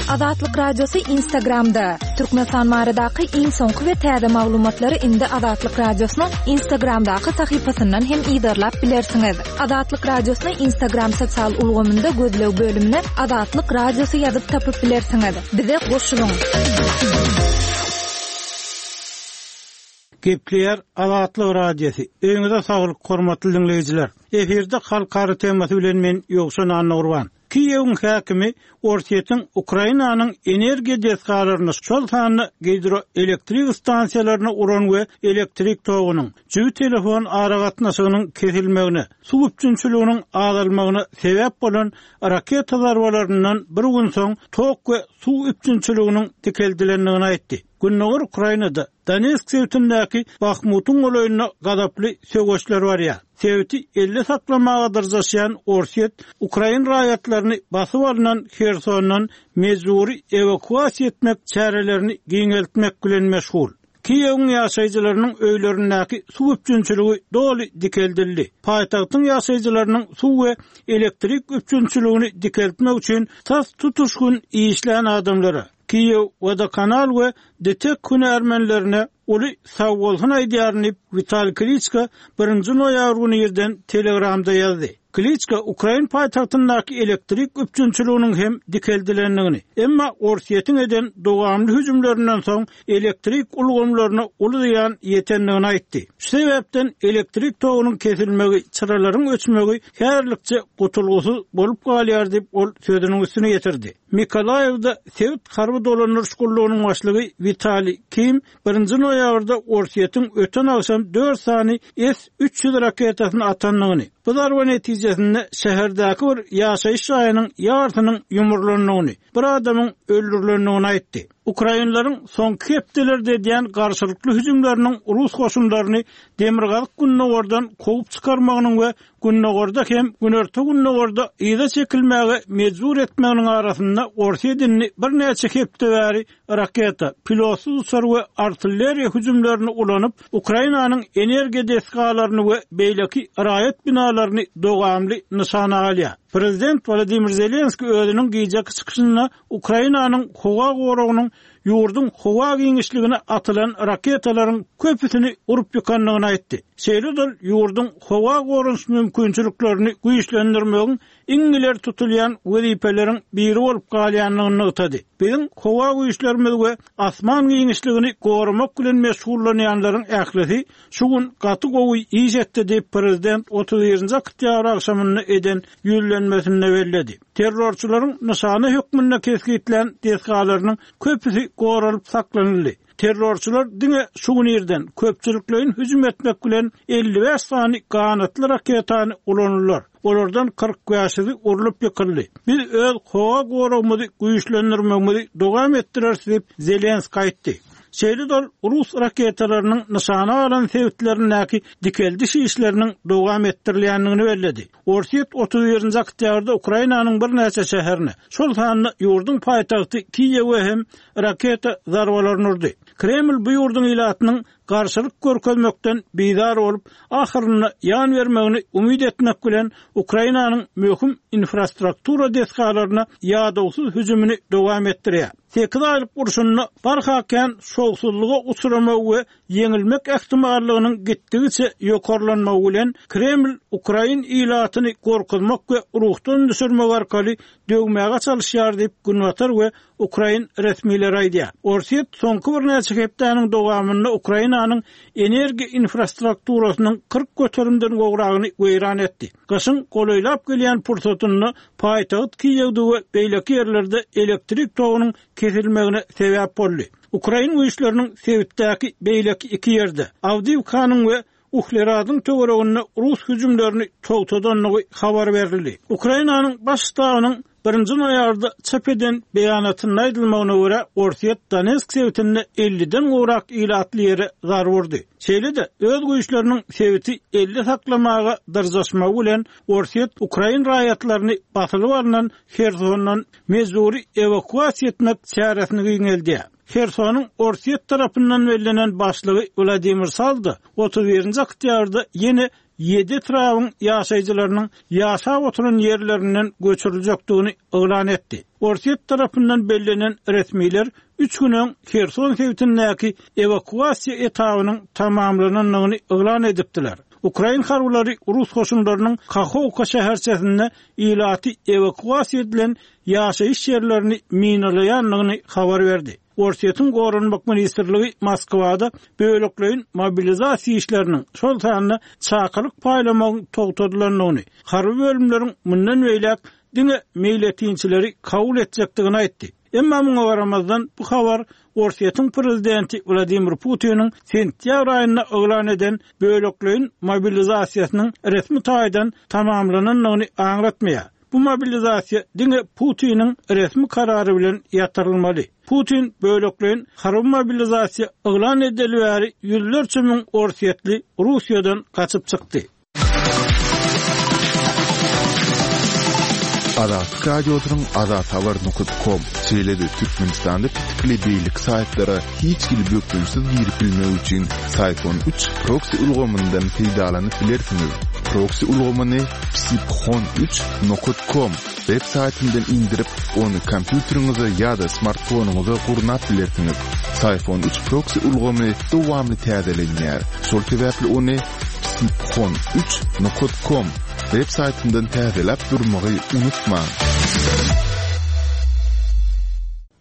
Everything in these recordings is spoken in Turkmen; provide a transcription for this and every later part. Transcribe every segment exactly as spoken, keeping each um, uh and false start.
Azatlyk Radiosy Instagramda. Türkmenistan baradaky iň soňky we täze maglumatlary indi Azatlyk Radiosynyň Instagramdaky sahypasyndan hem yzarlap bilersiňiz. Azatlyk Radiosyny Instagram sosial ulgamynda gözleg bölümine Azatlyk Radiosy ýazyp tapyp bilersiňiz. Bize goşulyň. Gepleýär Azatlyk Radiosy. Öýüňize saglyk, hormatly diňleýjiler. Efirde halkara temasy bilen men Ýowşan Annagurban. Kiýewiň häkimi Orsýetiň Ukrainanyň energiýa desgalaryny, şol sanda gidroelektrik stansiýalaryny uran we elektrik togunyň, jübi telefon aragatnaşygynyň kesilmegine, suw üpjünçiliginiň azalmagyna sebäp bolan raketa zarbalaryndan bir gün soň tok we suw üpjünçiliginiň dikeldilendigini aýtdy. Gündogar Ukrainada Donetsk sebitindäki Bahmutyň golaýynda gazaply söweşler barýar. Sebiti elde saklamaga dyrjaşýan Orsýet Ukrain raýatlaryny basyp alynan Hersondan mejbury ewakuasiýa etmek çärelerini giňeltmek bilen meşgul. Kiýewiň ýaşaýjylarynyň öýlerindäki suw üpjünçiligi doly dikeldildi. Paýtagtyň ýaşaýjylarynyň suw we elektrik üpjünçiligini dikeltmek üçin tas tutuş gün işlän adamlara Kiýew Wodokanal we DTEK hünärmenlerine uly sagbolsun aýdýaryn diýip, Witaliý Kliçko birinji noýabr güni irden Telegramda ýazdy. Kliçko Ukrain paýtagtyndaky elektrik üpjünçiliginiň hem dikeldilendigini, emma Orsýetiň eden dowamly hüjümlerinden soň elektrik ulgamlaryna uly zyýan ýetendigini aýtdy. Şu sebäpden elektrik togunyň kesilmegi, çyralaryň öçmegi häzirlikçe gutulgysyz bolup galýar diýip, ol sözüniň üstüne ýetirdi. Mikolaýewde sebit harby dolandyryş gullugynyň başlygy Witaliý Kim birinji noýabrda Orsýetiň öten agşam dört sany S üç ýüz raketasyny atandygyny, bu zarba netijesinde şäherdäki bir ýaşaýyş jaýynyň ýarsynyň ýumrulandygyny, bir adamyň öldürilendigini aýtdy. Ukrainleriň soňky hepdelerde edýän garşylykly hüjümleriniň rus goşunlaryny demirgazyk-gündogardan kowup çykarmagynyň we gündogarda hem günorta-gündogarda yza çekilmäge mejbur etmeginiň arasynda Orsýet indi birnäçe hepde bäri raketa, pilotsyz uçar we artilleriýa hüjümlerini ulanyp, Ukrainanyň energiýa desgalaryny we beýleki raýat binalaryny dowamly nyşana alýar. Prezident Wladimir Zelenski özüniň gijeki çykyşynda Ukrainanyň howa goragynyň ýurduň howa giňişligine atylan raketalaryň köpüsini urup ýykandygyny aýtdy. Şeýle-de ýurduň howa goranyş mümkinçiliklerini güýçlendirmegiň iň ileri tutulýan wezipeleriň biri bolup galýandygyny nygtady. Biziň howa güýçlerimiz we asman giňişligini goramak bilen meşgullanýanlaryň ählisi şu gün gaty gowy iş etdi diýip prezident otuz birinji oktýabr agşamynda eden ýüzlenmesinde belledi. Terrorçylaryň nyşana hökmünde kesgitlän desgalarynyň köpüsi goralyp saklanyldy. Terrorçylar diňe şu gün irden köpçülikleýin hüjüm etmek bilen elli bäş sany ganatly raketany ulandylar. Olardan kyrk bäşisi urlup ýykyldy. Biz öz howa goragymyzy güýçlendirmegimizi dowam etdireris diýip Zelenski aýtdy. Şeýle-de ol rus raketalarynyň nyşana alan sebitlerindäki dikeldiş işleriniň dowam etdirilýändigini belledi. Orsýet otuz birinji oktýabrda Ukrainanyň birnäçe şäherine, şol sanda ýurduň paýtagty Kiýewe hem raketa zarbalaryny urdy. Kreml bu ýurduň ilatynyň garşylyk görkezmekden bizar bolup, ahyrynda ýan bermegini umyt etmek bilen Ukrainanyň möhüm infrastruktura desgalaryna ýadawsyz hüjümini dowam etdirýär. Sekiz aýlyk urşunda barha kän şowsuzlyga uçramagy we ýeňilmek ähtimallygynyň gitdigiçe ýokarlanmagy bilen Kreml Ukrain ilatyny gorkuzmak we ruhdan düşürmek arkaly döwmäge çalyşýar diýip Günbatar we Ukrain resmileri aýdýar. Orsýet soňky birnäçe hepdäniň dowamynda Ukrainanyň energiýa infrastrukturasynyň kyrk göterimden gowragyny weýran etdi. Gyşyň golaýlap gelýän pursatynda paýtagt Kiýewde we beýleki ýerlerde elektrik togunyň kesilmegine sebäp boldy. Ukrain güýçleriniň sebitdäki beýleki iki ýerde, Awdiýewkanyň we Uhleradyň töwereginde rus hüjümlerini togtadandygy habar berildi. Ukrainanyň baş ştabynyň birinji noýabrda çap eden beýanatynda aýdylmagyna görä, Orsýet Donetsk sebitinde elliden gowrak ilatly ýere zarba urdy. Şeýle-de öz güýçleriniň sebiti elde saklamaga dyrjaşmagy bilen Orsýet ukrain raýatlaryny basylyp alnan Hersondan mejbury ewakuasiýa etmek çäresini giňeldýär. Hersonyň Orsýet tarapyndan bellenen başlygy Wladimir Saldo otuz birinji oktýabrda ýene ýedi etrabyň ýaşaýjylarynyň ýaşap oturan ýerlerinden göçüriljekdigini yglan etdi. Orsýet tarapyndan bellenen resmiler üç gün öň Herson sebitindäki ewakuasiýa etabynyň tamamlanandygyny yglan edipdiler. Ukrain harbylary rus goşunlarynyň Kahowka şäherçesinde ilaty ewakuasiýa edilen ýaşaýyş ýerlerini minalaýandygyny habar berdi. Orsýetiň Goranmak ministrligi Moskwada bölekleýin mobilizasiýa işleriniň, şol sanda çakylyk paýlamagyň togtadylandygyny, harby bölümleriň mundan beýläk diňe meýletinçileri kabul etjekdigini aýtdy. Emma muňa garamazdan bu habar Orsýetiň prezidenti Wladimir Putiniň sentýabr aýynda yglan eden bölekleýin mobilizasiýasynyň resmi taýdan tamamlanandygyny aňlatmaýar. Bu mobilizasiýa diňe Putiniň resmi karary bilen ýatyrylmaly. Putin bölekleýin harby mobilizasiýa yglan edeli bäri ýüzlerçe müň orsýetli Russiýadan gaçyp çykdy. Azatlyk Radiosynyň azathabar nokta kom, şeýle-de Türkmenistanda petikli beýleki saýtlara hiç hili bökdençsiz girip bilmek üçin Syfon üç proksi ulgamyndan peýdalanyp bilersiňiz. Proksi ulgamyny psiphon üç nokta kom web saýtyndan indirip, ony kompýuteriňize ýa-da smartfonyňyza gurnap bilersiňiz. Syfon üç proksi ulgamy dowamly täzelenýär. Şol sebäpli ony psiphon üç nokta kom web saýtyndan täzeläp durmagy unutmaň.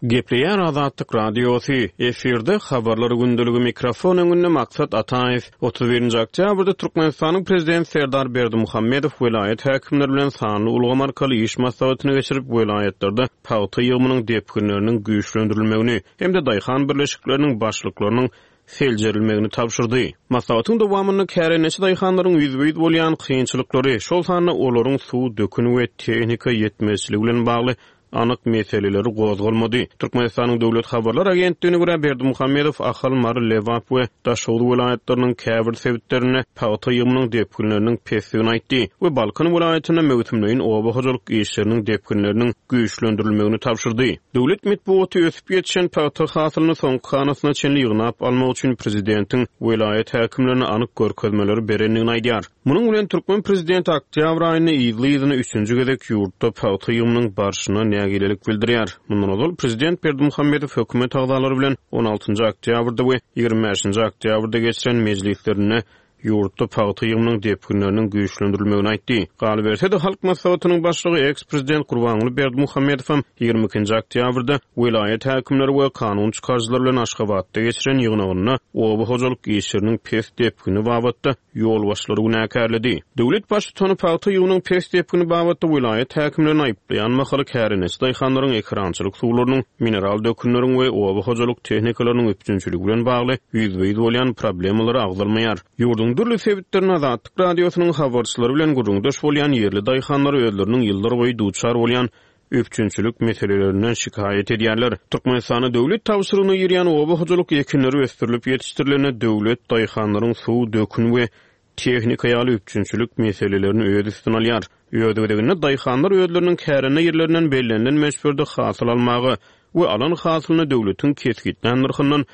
Gepleýär Azatlyk Radiosy, efirde habarlar gündeligi mikrofon öňünde Maksat Ataýew. Otuz birinji oktýabrda Türkmenistanyň Prezidenti Serdar Berdimuhamedow welaýat häkimleri bilen sanly ulgam arkaly iş maslahatyny geçirip, welaýatlarda pagta ýygymynyň depginleriniň güýçlendirilmegini hem-de daýhan birleşikleriniň başlyklarynyň seljerilmegini tabşyrdy. Maslahatyň dowamynda kärendeçi daýhanlaryň ýüzbe-ýüz bolýan kynçylyklary, şol sanda olaryň suw, dökün we tehnika ýetmezçiligi bilen bagly anyk meseleleri gozgalmady. Türkmenistanyň Döwlet Habarlar Agentligine görä Berdimuhamedow Ahal, Mary, Lebap we Daşoguz welaýatlarynyň käbir sebitlerinde pagta ýygymynyň depginleriniň pesligini aýtdy we Balkan welaýatynda möwsümleýin oba hojalyk işleriniň depginleriniň güýçlendirilmegini tabşyrdy. Döwlet metbugaty ösüp ýetişen pagta hasylyny soňky hanasyna çenli ýygnap almak üçin prezidentiň welaýat häkimlerine anyk görkezmeleri berendigini aýdýar. Munuň bilen türkmen prezidenti oktýabr aýynda yzly-yzyna üçünji gezek ýurtda pagta ýygymynyň barşyna nägilelik bildirýär. Mundan ozal prezident Berdimuhamedow hökümet agzalary bilen on altynjy oktýabrda we ýigrimi bäşinji oktýabrda geçiren mejlislerinde ýurtda pagta ýygymynyň depginleriniň güýçlendirilmegini aýtdy. Galyberse-de Halk Maslahatynyň başlygy eks-prezident Gurbanguly Berdimuhamedow hem ýigrimi ikinji oktýabrda welaýat häkimleri we kanun çykaryjylar bilen Aşgabatda geçiren ýygnagynda oba hojalyk işleriniň pes depgini babatda ýolbaşçylary günäkärledi. Döwlet baştutany pagta ýygymynyň pes depgini babatda welaýat häkimlerini aýyplaýan mahaly kärendeçi daýhanlaryň ekerançylyk suwlarynyň, mineral dökünleriň we oba hojalyk tehnikalarynyň üpjünçiligi bilen bagly ýüzbe-ýüz bolýan problemalary agzalmaýar. Ýurduň dürli sebitlerinde Azatlyk Radiosynyň habarçylary bilen gürrüňdeş bolýan ýerli daýhanlar özleriniň ýyllar boýy duçar bolýan üpjünçilik meselelerinden şikaýat edýärler. Türkmenistanda döwlet tabşyrygyna girýän oba hojalyk ekinleri ösdürilip ýetişdirilende döwlet daýhanlaryň suw, dökün we tehnika ýaly üpjünçilik meselelerini öz üstüne alýar. Öz gezeginde daýhanlar özleriniň kärende ýerlerinden bellenilen möçberde hasyl almaga we alan hasylyny döwletiň kesgitlän nyrhyndan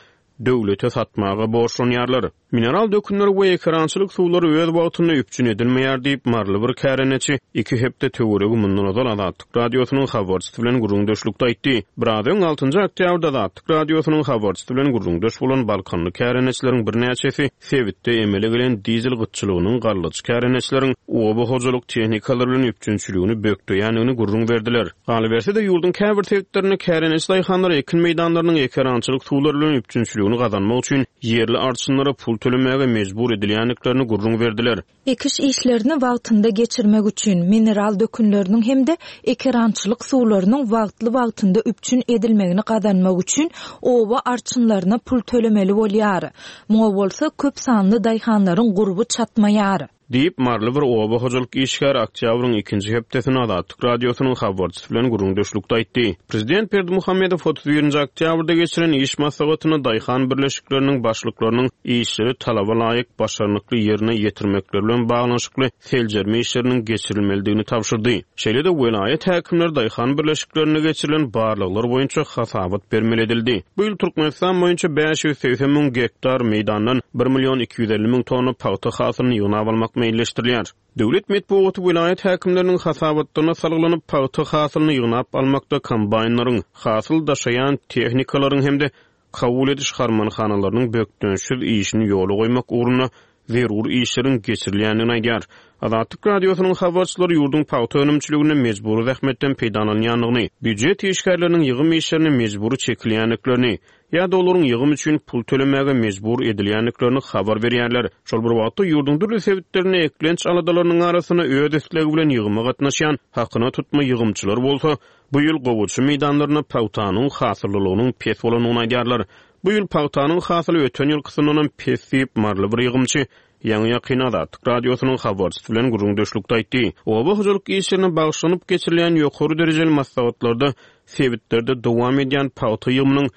döwlete satmaga borçlanýarlar. Mineral dökünleri we ekerançylyk suwlary öz wagtynda üpjün edilmeýär diýip Marly bir kärendeçi iki hepde töweregi mundan ozal Azatlyk Radiosynyň habarçysy bilen gürrüňdeşlikde aýtdy. Biraz öň altynjy oktýabrda Azatlyk Radiosynyň habarçysy bilen gürrüňdeş bolan Balkanly kärendeçileriň birnäçesi sebitde emele gelen dizel gytçylygynyň gallaçy kärendeçileriň oba hojalyk tehnikalary bilen üpjünçiligini bökdeýändigini gürrüň berdiler. Galyberse-de ýurduň käbir sebitlerinde kärendeçi daýhanlar ekin meýdanlarynyň ekerançylyk suwlary bilen üpjünçiligini gazanmak üçin ýerli arçynlara pul tölemäge mejbur edilýändiklerini gürrüň berdiler. Ekiş işlerini wagtynda geçirmek üçin mineral dökünleriniň hem-de ekerançylyk suwlarynyň wagtly-wagtynda üpjün edilmegini gazanmak üçin oba arçynlaryna pul tölemeli bolýar. Muňa bolsa köp sanly daýhanlaryň gurby çatmaýar. Diýip Marly bir oba hojalyk işgäri oktýabryň ikinji hepdesini Azatlyk Radiosynyň habarçysy bilen gürrüňdeşlikde aýtdy. Prezident Berdimuhamedow otuz birinji oktýabrda geçiren iş maslahatynda daýhan birleşikleriniň başlyklarynyň işleri talaba laýyk başarnykly ýerine ýetirmekleri bilen baglanyşykly seljerme işleriniň geçirilmelidigini tabşyrdy. Şeýle-de welaýat häkimleri daýhan birleşiklerinde geçirilen barlaglar boýunça hasabat bermeli edildi. Bu ýyl Türkmenistan boýunça bäş ýüz segsen müň gektar meýdandan bir million iki ýüz elli müň tonna pagta hasylyny ýygnap almak meýilleşdirilýär. Döwlet metbugaty welaýat häkimleriniň hasabatlaryna salgylanyp, pagta hasylyny ýygnap almakda kombaýnlaryň, hasyl daşaýan tehnikalaryň hem-de kabul ediş harmanhanalarynyň bökdençsiz işini ýola goýmak ugrunda zerur işleriň geçirilýändigini aýdýar. Azatlyk Radiosynyň habarçylary ýurduň pagta önümçiliginde mejbury zähmetden peýdalanýandygyny, býujet işgärleriniň ýygym işlerine mejbury çekilýändiklerini, ýa-da olaryň ýygym üçin pul tölemäge mejbur edilýändiklerini habar berýärler. Şol bir wagtda ýurduň dürli sebitlerinde eklenç aladalarynyň arasynda öz islegi bilen ýygyma gatnaşýan hakyna tutma ýygymçylar bolsa, bu ýyl gowaça meýdanlarynda pagtanyň hasyllylygynyň pes bolandygyny aýdýarlar. Bu ýyl pagtanyň hasyly öten ýylkysyndanam pes diýip, maryly bir ýygymçy ýaňy-ýakyn Azatlyk Radiosynyň habarçysy bilen gürrüňdeşlikde aýtdy. Oba hojalyk işlerine bagyşlanyp geçirilýän ýokary derejeli maslahatlarda sebitlerde dowam edýän pagta ýygymynyň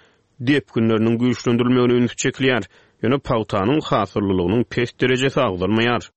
depginleriniň güýçlendirilmegine üns çekilýär. Ýöne pagtanyň hasyllylygynyň pes derejesi agzalmaýar.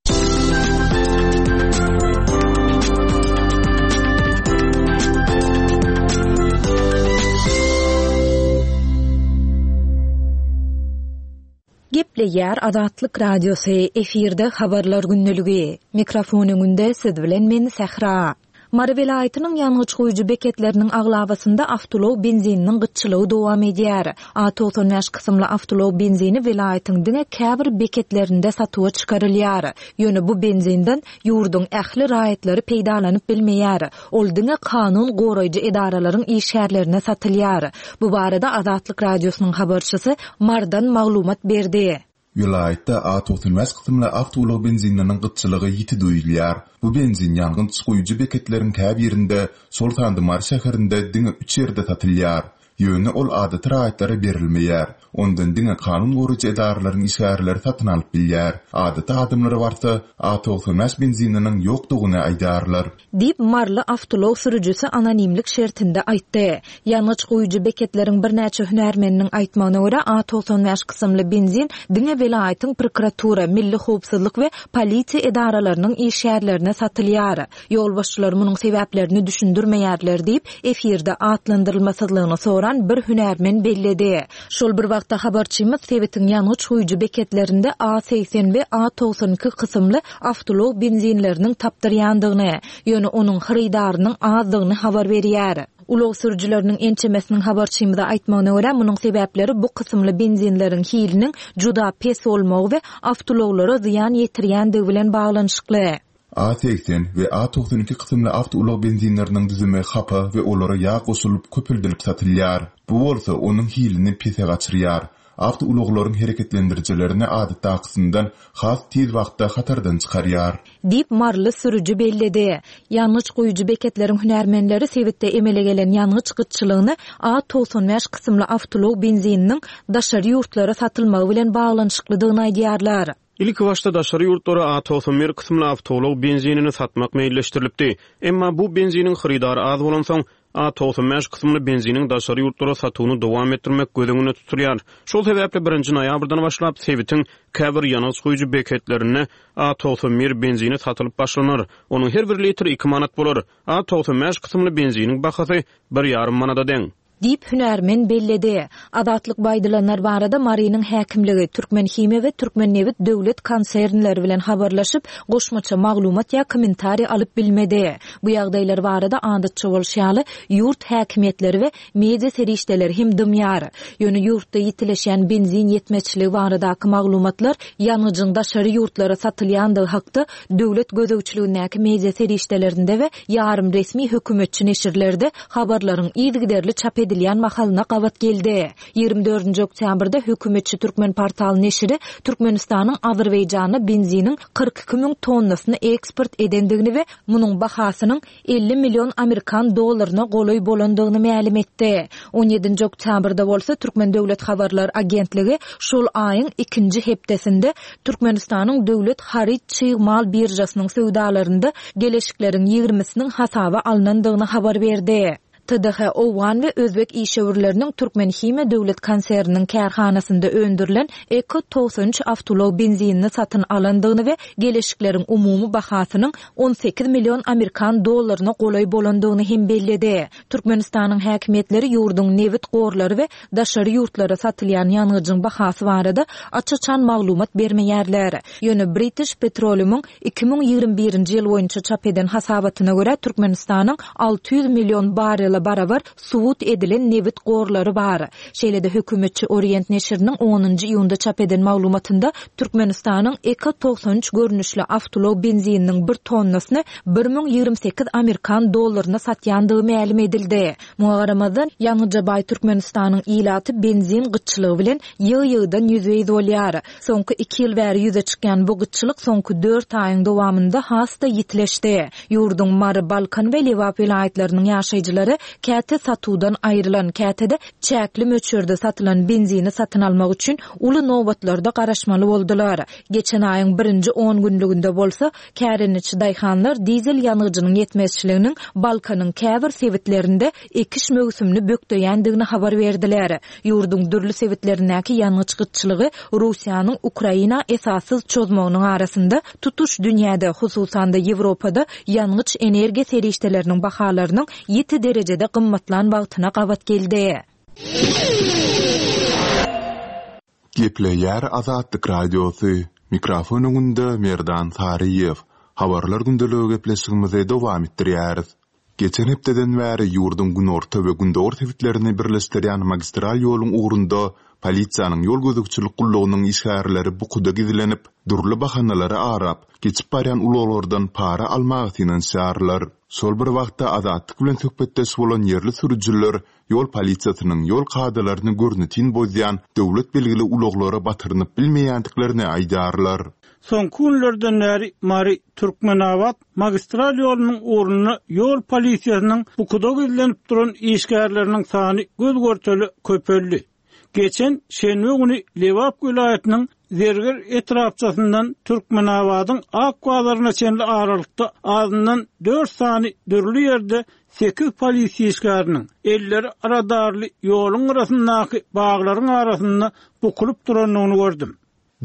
Gepleýär Azatlyk Radiosy, efirde habarlar gündeligi. Mikrofon öňünde siz bilen men Sähra. Mary welaýatynyň ýangyç guýujy beketleriniň aglabasynda awtoulag benzininiň gytçylygy dowam edýär. A togsan bäş kysymly awtoulag benzini welaýatyň diňe käbir beketlerinde satuwa çykarylýar. Ýöne bu benzinden ýurduň ähli raýatlary peýdalanyp bilmeýär. Ol diňe kanun goraýjy edaralaryň işgärlerine satylýar. Bu barada Azatlyk Radiosynyň habarçysy Mardan maglumat berdi. Welaýatda A togsan bäş kysymly awtoulag benzininiň gytçylygy ýiti duýulýar. Bu benzin ýangyç guýujy beketleriň käbirinde, şol sanda Mary şäherinde diňe üç ýerde satylýar. Ýöne ol adaty raýatlara berilmeýär. Ondan diňe kanun goraýjy edaralaryň işgärleri satyn alyp bilýär. Adaty adamlara barsa A togsan bäş benzininiň ýokdugyny aýdarlar. Diýip Marly awtoulag sürüjisi anonimlik şertinde aýtdy. Ýangyç guýujy beketleriň birnäçe hünärmeniniň aýtmagyna görä A togsan bäş kysymly benzin diňe welaýatyň prokuratura, milli howpsuzlyk we polisiýa edaralarynyň işgärlerine satylýar. Ýolbaşçylar munuň sebäplerini düşündirmeýärler diýip, efirde atlandyrylmasyzlygyny soran bir hünärmen belledi. Şol bir wagtda habarçymyz sebitiň ýangyç guýujy beketlerinde A segsen we A togsan iki kysymly awtoulag benzinleriniň tapdyrýandygyny, ýöne onuň hyrydarynyň azdygyny habar berýär. Ulag sürüjileriniň ençemesiniň habarçymyza aýtmagyna görä, munuň sebäpleri bu kysymly benzinleriň hiliniň juda pes bolmagy we awtoulaglara zyýan ýetirýändigi bilen baglanyşykly. A segsen we A togsan iki kysymly awtoulag benzinleriniň düzümi hapa we olara ýag goşulyp köpüldilip satylýar. Bu bolsa onuň hilini pese gaçyrýar. Awtoulaglaryň hereketlendirijilerini adatdakysyndan has tiz wagtda hatardan çykarýar. Diýip Marly sürüji belledi. Ýangyç guýujy beketleriň hünärmenleri sebitde emele gelen ýangyç gytçylygyny A togsan bäş kysymly awtoulag benzininiň daşary ýurtlara satylmagy bilen baglanyşyklydygyny aýdýarlar. Ilki başda daşary ýurtlara A togsan bir kysymly awtoulag benzinini satmak meýilleşdirilipdi. Emma bu benziniň hyrydary az bolansoň A togsan bäş kysymly benziniň daşary ýurtlara satuwyny dowam etdirmek göz öňünde tutulýar. Şol sebäpli birinji noýabrdan başlap sebitiň käbir ýangyç guýujy beketlerinde A togsan bir benzini satylyp başlanar. Onuň her bir litri iki manat bolar. A togsan bäş kysymly benziniň bahasy bir ýarym manada deň. Diýip hünärmen belledi. Azatlyk baýdylanlar barada Marynyň häkimligi, Türkmen Himiýa we Türkmen Nebit döwlet konsernleri bilen habarlaşyp, goşmaça maglumat ýa kommentariý alyp bilmedi. Bu ýagdaýlar barada adatça bolşy ýaly ýurt häkimiýetleri we media serişdeleri hem dymýar. Ýöne ýurtda ýitileşýän benzin ýetmezçiligi baradaky maglumatlar ýangyjyň daşary ýurtlara satylýandygy hakda döwlet gözegçiligindäki media serişdelerinde we ýarym resmi hökümetçi neşirlerde habarlaryň yzygiderli çap edilýän mahalyna gabat geldi. Ýigrimi dördünji oktýabrda hökümetçi Türkmen portal neşiri Türkmenistanyň Azerbaýjana benziniň kyrk iki müň tonnasyny eksport edendigini we munuň bahasynyň elli million Amerikan dollaryna golaý bolandygyny mälim etdi. On ýedinji oktýabrda bolsa Türkmen Döwlet Habarlar Agentligi şol aýyň ikinji hepdesinde Türkmenistanyň Döwlet Haryt Çig Mal Birjasynyň söwdalarynda geleşikleriň ýigrimisiniň hasaba alnandygyny habar berdi. T D H owgan we özbek işewürleriniň Türkmenhimiýa döwlet konserniniň kärhanasynda öndürilen Eko togsan üç awtoulag benzinini satyn alandygyny we geleşikleriň umumy bahasynyň on sekiz million amerikan dollaryna golaý bolandygyny hem belledi. Türkmenistanyň häkimiýetleri ýurduň nebit gorlary we daşary ýurtlara satylýan ýangyjyň bahasy barada aç-açan maglumat bermeýärler. Ýöne British Petroleumyň iki müň ýigrimi birinji ýyl boýunça çap eden hasabatyna görä, Türkmenistanyň alty ýüz million barrele barabar subut edilen nebit gorlary bar. Şeýle-de hökümetçi Orient neşiriniň onunjy iýunda çap eden maglumatynda Türkmenistanyň Eko togsan üç görnüşli awtoulag benzininiň bir tonnasyny bir müň ýigrimi sekiz amerikan dollaryna satýandygy mälim edildi. Muňa garamazdan, ýangyja baý Türkmenistanyň ilaty benzin gytçylygy bilen ýygy-ýygydan ýüzbe-ýüz bolýar. Soňky iki ýyl bäri ýüze çykýan bu gytçylyk soňky dört aýyň dowamynda has-da ýitileşdi. Ýurduň Mary, Balkan we Lebap welaýatlarynyň ýaşaýjylary käte satuwdan aýrylan, käte-de çäkli möçberde satylan benzini satyn almak üçin uly nobatlarda garaşmaly boldular. Geçen aýyň birinji on günlüginde bolsa, kärendeçi daýhanlar dizel ýangyjynyň ýetmezçiliginiň Balkanyň käbir sebitlerinde ekiş möwsümini bökdeýändigini habar berdiler. Ýurduň dürli sebitlerindäki ýangyç gytçylygy Russiýanyň Ukraina esassyz çozmagynyň arasynda tutuş dünýäde, hususan-da Ýewropada ýangyç energiýa serişdeleriniň bahalarynyň ýiti derejede gymmatlan wagtyna gabat geldi. Gepleýär Azatlyk Radiosy. Mikrofon öňünde Merdan Saryýew. Habarlar gündeligi gepleşigimizi dowam etdirýäris. Geçen hepdeden bäri ýurduň günorta we gündogar sebitlerini birleşdirýän magistral ýoluň ugrunda polisiýanyň ýol gözegçilik gullugynyň işgärleri bukuda gizlenip, dürli bahanalary arap, geçip barýan ulaglardan para almaga synanyşýarlar. Şol bir wagtda Azatlyk bilen söhbetdeş bolan ýerli sürüjiler ýol polisiýasynyň ýol kadalaryny görnetin bozýan döwlet belgili ulaglara batyrynyp bilmeýändiklerini aýdýarlar. Soňky günlerden bäri Mary Türkmenabat magistral ýolunyň ugrunda ýol polisiýasynyň bukuda gizlenip duran işgärleriniň sany göz görteli köpeldi. Geçen şenbe güni Lebap welaýatynyň Zerger etrapçasyndan Türkmenabadyň Ak bazaryna çenli aralykda azyndan dört sany dürli ýerde sekiz polisiýa işgäriniň elleri radarly ýoluň arasyndaky baglaryň arasynda bukulyp durandygyny gördüm.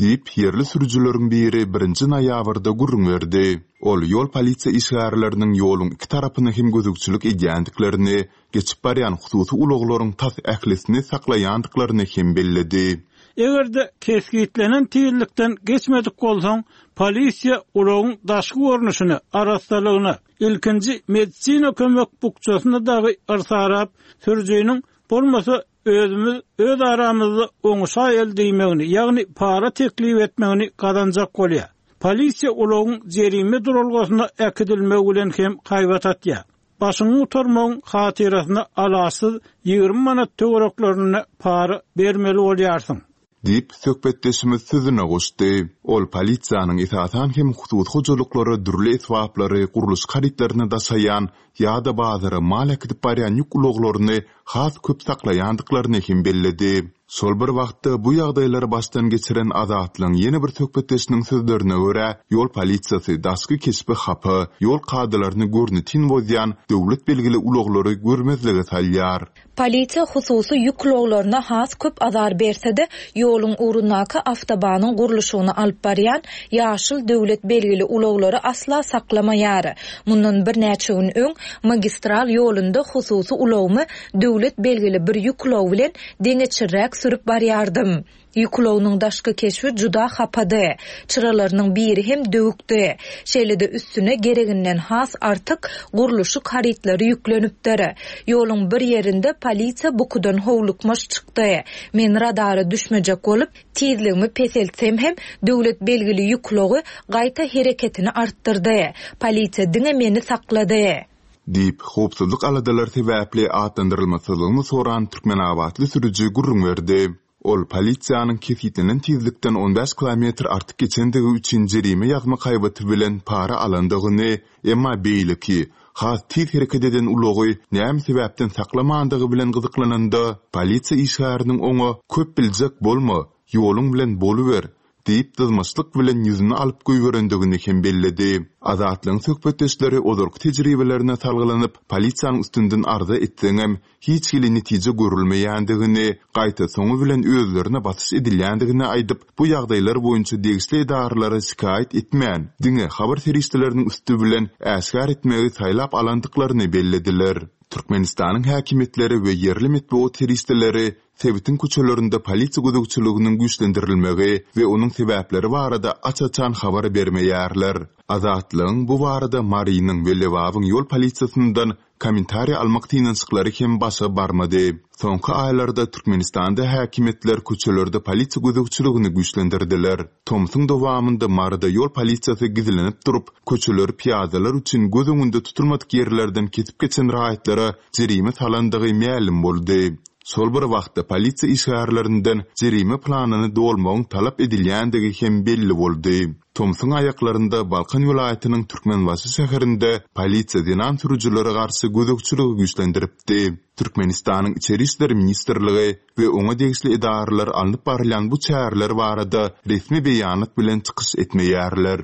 Diýip, ýerli sürüjileriň biri birinji noýabrda gürrüň berdi. Ol ýol polisiýa işgärleriniň ýoluň iki tarapyny hem gözegçilik edýändiklerini, geçip barýan hususy ulaglaryň tas ählisini saklaýandyklaryny hem belledi. Eger-de kesgitlenen tizlikden geçmedik bolsaň, polisiýa ulagyň daşky görnüşine, arassalygyna, ilkinji medisina kömek bukjasyna dagy yrsarap, sürüjiniň bolmasa özümiz öz aramyzda oňuşa el diýmegini, ýagny para teklip etmegini gazanjak bolýar. Polisiýa ulagyň jerime duralgasyna äkidilmegi bilen hem haýbat atýar. Başyňy gutarmagyň hatyrasyna alaçsyz ýigrimi manat töwereklerinde para bermeli bolýarsyň. Diýip, söhbetdeşimiz sözüne goşdy. Ol polisiýanyň esasan hem hususy hojalyklara dürli esbaplary, gurluşyk harytlaryny daşaýan ýa-da bazara mal äkidip barýan ýük ulaglaryny has köp saklaýandyklaryny hem belledi. Şol bir wagtda bu ýagdaýlary başdan geçiren Azatlygyň ýene bir söhbetdeşiniň sözlerine görä, ýol polisiýasy daşky keşbi hapa, ýol kadalaryny görnetin bozýan döwlet belgili ulaglary görmezlige salýar. Polisiýa hususy ýük ulaglaryna has köp azar berse-de, ýoluň ugrundaky awtobanyň gurluşygyny alyp barýan ýaşyl döwlet belgili ulaglary asla saklamaýar. Mundan birnäçe gün öň magistral ýolunda hususy ulagymy döwlet belgili bir ýük ulagy bilen deňeçirräk sürüp barýardym. Ýük ulagynyň daşky keşbi juda hapady. Çyralarynyň biri hem döwükdi. Şeýle-de üstüne gereginden has artyk gurluşyk harytlary ýüklenipdir. Ýoluň bir ýerinde polisiýa bukudan howlukmaç çykdy. Men radara düşmejek bolup, tizligimi peseltsem hem döwlet belgili ýük ulagy gaýta hereketini artdyrdy. Polisiýa diňe meni saklady. Diýip, howpsuzlyk aladalary sebäpli atlandyrylmasyzlygyny soran Türkmenabatly sürüji gürrüň berdi. Ol polisiýanyň kesgitlenen tizlikden on bäş kilometr artyk geçendigi üçin jerime ýazmak haýbaty bilen para alandygyny, emma beýleki, has tiz hereket eden ulagy näme sebäpden saklamandygy bilen gyzyklananda, polisiýa işgäriniň oňa köp biljek bolma, ýoluň bilen boluber Diýip dyzmaçlyk bilen ýüzüni alyp goýberendigini hem belledi. Azatlygyň söhbetdeşleri ozalky tejribelerine salgylanyp, polisiýanyň üstünden arza etseňem, hiç hili netije görülmeýändigini, gaýta soňy bilen özlerine basyş edilýändigini aýdyp, bu ýagdaýlar boýunça degişli edaralara şikaýat etmän, diňe habar serişdeleriniň üsti bilen äşgär etmegi saýlap alandyklaryny bellediler. Türkmenistanyň häkimiýetleri we ýerli metbugat serişdeleri sebitiň köçelerinde polisiýa gözegçiliginiň güýçlendirilmegi we onuň sebäpleri barada aç-açan habar bermeýärler. Azatlygyň bu barada Marynyň we Lebabyň ýol polisiýasyndan kommentariý almak synanyşyklary hem başa barmady. Soňky aýlarda Türkmenistanda häkimiýetler köçelerde polisiýa gözegçiligini güýçlendirdiler. Tomsuň dowamynda Maryda ýol polisiýasy gizlenip durup, köçeleri pyýadalar üçin göz öňünde tutulmadyk ýerlerden kesip geçen raýatlara jerime salandygy mälim boldy. Şol bir wagtda polisiýa işgärlerinden jerime planyny dolmagyň talap edilýändigi hem belli boldy. Tomsuň aýaklarynda Balkan welaýatynyň Türkmenbaşy şäherinde polisiýa zenan sürüjilere garşy gözegçiligi güýçlendiripdi. Türkmenistanyň Içeri işler ministrligi we oňa degişli edaralar alnyp barylýan bu çäreler barada resmi beýanat bilen çykyş etmeýärler.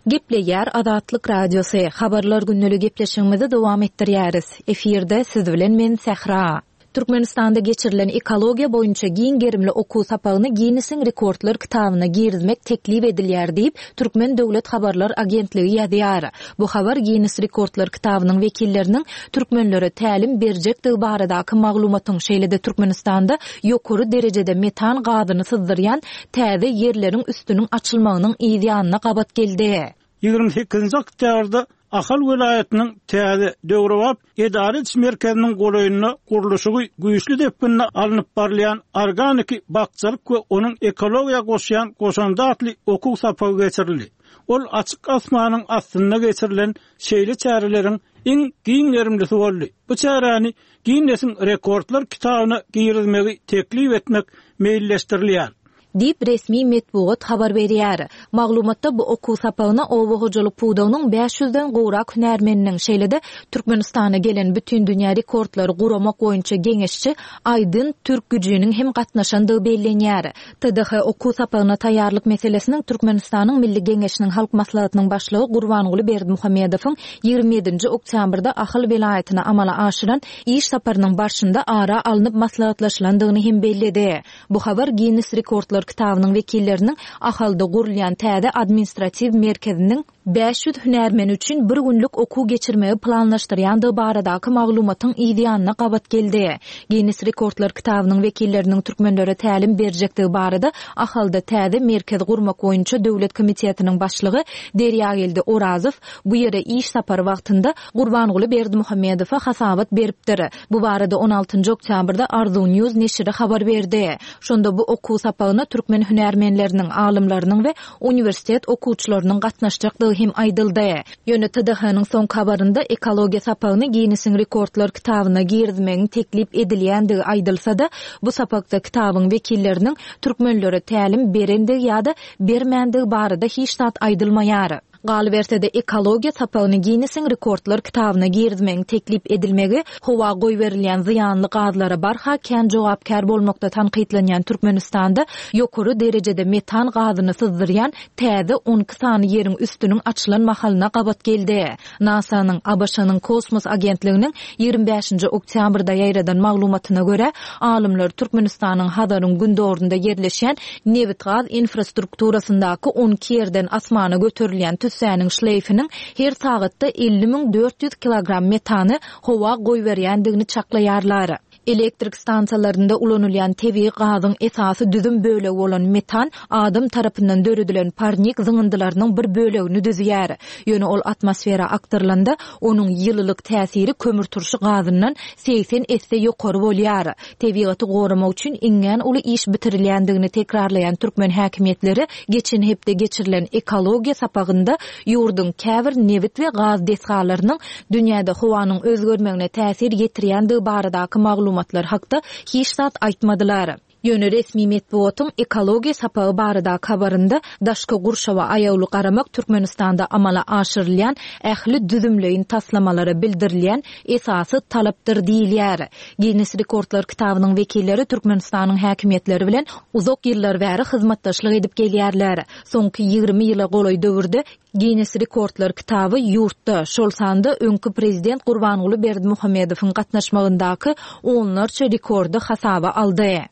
Gepleýär Azatlyk Radiosy, Habarlar gündeligi gepleşigimizi dowam etdirýäris. Efirde siz bilen men Sähra. Türkmenistanda geçirilen ekologiýa boýunça giň gerimli okuw sapagyny Ginnesiň rekordlar kitabyna girizmek teklip edilýär diýip, Türkmen döwlet habarlar agentligi ýazýar. Bu habar Ginnes rekordlar kitabynyň wekilleriniň türkmenlere tälim berjekdigi baradaky maglumatyň, şeýle-de Türkmenistanda ýokary derejede metan gazyny syzdyrýan täze ýerleriň üstüniň açylmagynyň yz ýanyna gabat geldi. Ýigrimi sekizinji oktýabrda Ahal welaýatynyň täze, döwrebap edara ediş merkeziniň golaýynda gurluşygy güýçli depginde alnyp barylýan Organiki bakjalyk we onuň ekologiýa goşýan goşandy atly okuw sapagy geçirildi. Ol açyk asmanyň astynda geçirilen şeýle çäreleriň iň giň gerimlisi boldy. Bu çäräni Ginnesiň rekordlar kitabyna girizmegi teklip etmek meýilleşdirilýär. Diýip, resmi metbugat habar berýär. Maglumatda bu okuw sapagyna oba hojalyk pudagynyň bäş ýüzden gowrak hünärmeniniň, şeýle-de Türkmenistana gelen Bütindünýä rekordlary guramak boýunça geňeşçi Aýdyn Türkgüjiniň hem gatnaşandygy bellenýär. T D H okuw sapagyna taýýarlyk meselesiniň Türkmenistanyň Milli Geňeşiniň Halk Maslahatynyň Başlygy Gurbanguly Berdimuhamedowyň ýigrimi ýedinji oktýabrda Ahal welaýatyna amala aşyran iş saparynyň barşynda ara alnyp maslahatlaşylandygyny hem belledi. Bu habar Ginnes rekordlar kitabynyň wekilleriniň Ahalda gurulýan täze administratiw merkeziniň bäş ýüz hünärmeni üçin bir günlük okuw geçirmegi planlaşdyrýandygy baradaky maglumatyň yz ýanyna gabat geldi. Ginnes rekordlar kitabynyň wekilleriniň türkmenlere tälim berjekdigi barada Ahalda täze merkez gurmak boýunça döwlet komitetiniň başlygy Derýageldi Orazow bu ýere iş sapary wagtynda Gurbanguly Berdimuhamedowa hasabat beripdir. Bu barada on altynjy oktýabrda Arzuw News neşiri habar berdi. Şonda bu okuw sapagyna türkmen hünärmenleriniň, alymlarynyň we uniwersitet okuwçylarynyň gatnaşjakdygy hem aýdyldy. Ýöne T D H-nyň soňky habarynda ekologiýa sapagyny Ginnesiň rekordlar kitabyna girizmegiň teklip edilýändigi aýdylsa-da, bu sapakda kitabyň wekilleriniň türkmenlere tälim berendigi ýa-da bermändigi barada hiç zat aýdylmaýar. Galyberse-de, ekologiýa sapagyny Ginnesiň rekordlar kitabyna girizmegiň teklip edilmegi howa goýberilýän zyýanly gazlara barha kän jogapkär bolmakda tankytlanýan Türkmenistanda ýokary derejede metan gazyny syzdyrýan täze on iki sany ýeriň üstüniň açylan mahalyna gabat geldi. NASA-nyň, A B Ş-nyň kosmos agentliginiň ýigrimi bäşinji oktýabrda ýaýradan maglumatyna görä, alymlar Türkmenistanyň Hazaryň gündogarynda ýerleşýän nebit-gaz infrastrukturasyndaky on iki ýerden asmana göterilýän tüssäniň şleýfiniň her sagatda elli müň dört ýüz kilogram metany howa goýberýändigini çaklaýarlar. Elektrik stansiýalarynda ulanylýan tebigy gazyň esasy düzüm bölegi bolan metan adam tarapyndan döredilen parnik zyňyndylarynyň bir bölegini düzýär. Ýöne ol atmosfera akdyrylanda onuň ýylylyk täsiri kömürturşy gazyndan segsen esse ýokary bolýar. Tebigaty goramak üçin iňňän uly iş bitirilýändigini tekrarlaýan türkmen häkimiýetleri geçen hepde geçirilen ekologiýa sapagynda ýurduň käbir nebit we gaz desgalarynyň dünýäde howanyň özgermegine täsir ýetirýändigi baradaky maglumatlar hakda hiç zat aýtmadylar. Ýöne resmi metbugatyň ekologiýa sapagy baradaky habarynda daşky gurşawa aýawly garamak Türkmenistanda amala aşyrylýan ähli düzümleýin taslamalara bildirilýän esasy talapdyr diýilýär. Ginnes rekordlar kitabynyň wekilleri Türkmenistanyň häkimiýetleri bilen uzak ýyllar bäri hyzmatdaşlyk edip gelýärler. Soňky ýigrimi ýyla golaý döwürde Ginnes rekordlar kitaby ýurtda, şol sanda öňki prezident Gurbanguly Berdimuhamedowyň gatnaşmagyndaky onlarça rekordy hasaba aldy.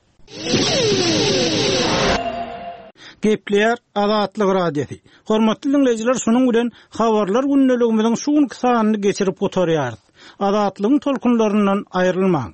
Gepleýär Azatlyk Radiosy. Hormatly diňleýjiler, şunuň bilen habarlar gündeligimiziň şu günki sanyny geçirip gutarýarys. Azatlygyň tolkunlaryndan aýrylmaň.